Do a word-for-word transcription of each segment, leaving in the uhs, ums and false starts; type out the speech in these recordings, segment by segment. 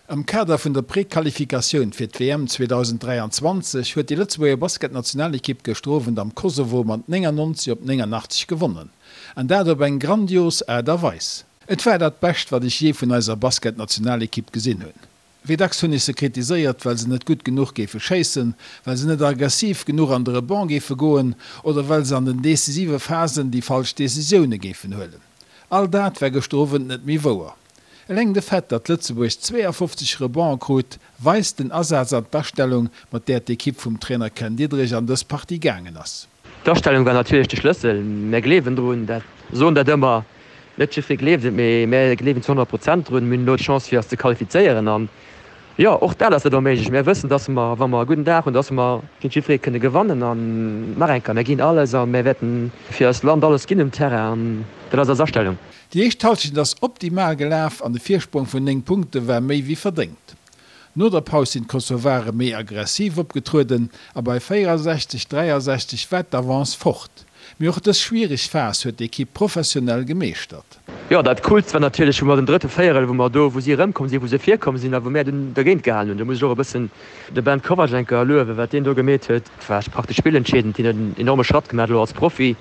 Am Kader vun der Prequalifikatioun fir d'W M zweedausenddräianzwanzeg huet déi Lëtzebuerger Basketnationalekipp gëschter Owend am Kosovo mat néngannonzeg op néngannachtzeg gewonnen. An dat op eng grandios Aart a Weis. Et war dat Bescht, wat ech jee vun eiser Basketnationalekipp gesinn hunn. Wéi dacks hunn ech se kritiséiert, well se net gutt genuch géife schéissen, well se net aggressiv genuch an de Rebond géife goen oder well se an den decisive Phasen déi falsch Decisioune géifen huelen. All dat war gëschter Owend net méi wouer. Eleng de Fait, datt Lëtzebuerg zweeafofzeg Rebonde krut, weist den Asaz an d'Astellung, mat där d'Ekipp vum Trainer Ken Diederich an dës Partie gaangen ass. D'Astellung war natierlech de Schlëssel. Mär gleewen drun, dat soen dat ëmmer. Net jiddweree gleeft et, mee mär gleewen zu honnert Prozent drun. Mir hunn elo d'Chance fir eis ze qualifizéieren an jo, och dat ass net onméiglech. Mär wëssen, datt mer, wa mer e gudden Dag hunn, datt mer géint jiddweree kënne gewannen an nach eng Kéier, mär ginn alles a mär wäerten fir eist Land alles ginn um Terrain an dat ass eis Astellung. Déi éischt Hallschent ass optimal gelaf an de Virsprong vun néng Punkte war méi wéi verdéngt. No der Paus sinn d'Kosovare méi aggressiv opgetrueden a bei véierasechzeg, dräiasechzeg war d'Avance fort. Mee och dës schwiereg Phas huet d'Ekipp professionell gemeeschtert. Jo, dat Coolst war natierlech, wou mer den drëtte Véierel, wou mer do, wou si erëmkomm sinn, wou se virkomm sinn a wou mär dunn dergéint gehalen hunn. Do muss ech och e bëssen de Ben Kovac eng Kéier luewen, wat deen do gemeet huet. Dat war praktesch spillentscheedend. Hien huet en enorme Schratt gemaach elo als Profi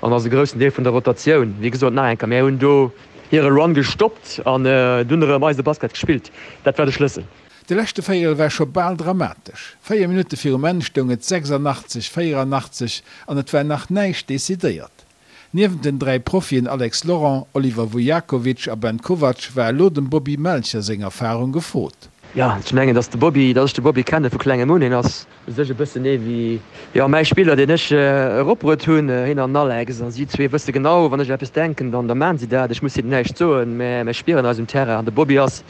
an ass e groussen Deel vun der Rotatioun. Wéi gesot, nach eng Kéier, mär hunn do hire Run gestoppt an dunn erëm eise Basket gespillt. Dat war de Schlëssel. De leschte Véierel war scho bal dramatesch. Véier Minutte virum Enn stoung et sechsannachtzeg, véierannachtzeg an et war nach näischt decidéiert. Niewent den dräi Profien Alex Laurent, Oliver Vujakovic a Ben Kovac war elo dem Bobby Melcher seng Erfarung gefrot. Jo, ech mengen, dass de Bobby, dass ech de Bobby kenne vu klengem un. Hien ass u sech e bëssen ee wéi, jo, mäi Spiller, deen ech eropbruet hunn, hien an den Alex. A si zwee wësse genau, wann ech eppes denken, dann da maachen si dat. Ech muss hinnen näischt soen, mä mir spieren eis um Terrain. An de Bobby ass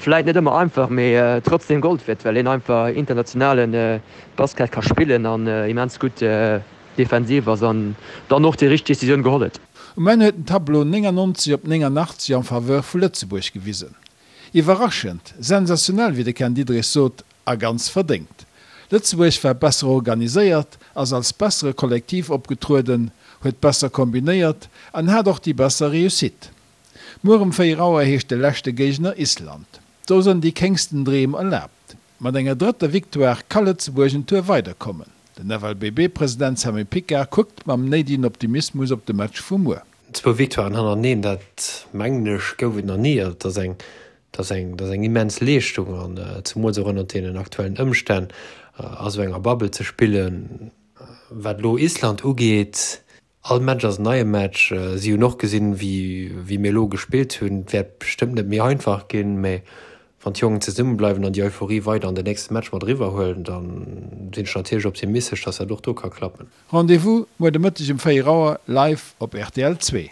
vläit net ëmmer einfach, mee trotzdem Gold wäert, well hien einfach internationale Basket ka spillen an immens gutt defensiv ass an dann och déi richteg Decisioun geholl huet. Um Enn huet den Tableau néngannonzeg op néngannachtzeg en faveur vu Lëtzebuerg gewisen. Iwwerraschend, sensationell wéi de Ken Diederich sot, a ganz verdéngt. Lëtzebuerg war besser organiséiert, ass als bessere Kollektiv opgetrueden, huet besser kombinéiert an hat och déi besser Réussite. Muer um véier Auer heescht de leschte Géigner Island. Do sënn déi kéngsten Dreem erlaabt. Mat enger drëtter Victoire ka Lëtzebuerg en Tour weiderkommen. Den F L B B-President Sammy Picard kuckt mam néidegen Optimismus op de Match vu muer. Zwou Victoiren hannereneen, dat mengen ech gouf et nach ni. Dat ass eng, dat ass eng, dat ass eng immens Leeschtung an zemools och ënnert deenen aktuellen Ëmstänn a sou enger Bubble ze spillen. Wat elo Island ugeet, all Match ass en neie Match. Si hunn och gesinn, wéi, wéi mir elo gespillt hunn. Et wäert bestëmmt net méi einfach ginn, mä wann d'Jongen zesummebleiwen an déi Euphorie weider an den nächste Match mat eriwwer huelen, da sinn ech natierlech optimistesch, dass dat och do ka klappen. Rendez-vous muer de Mëtteg um véier Auer live op R T L zwee.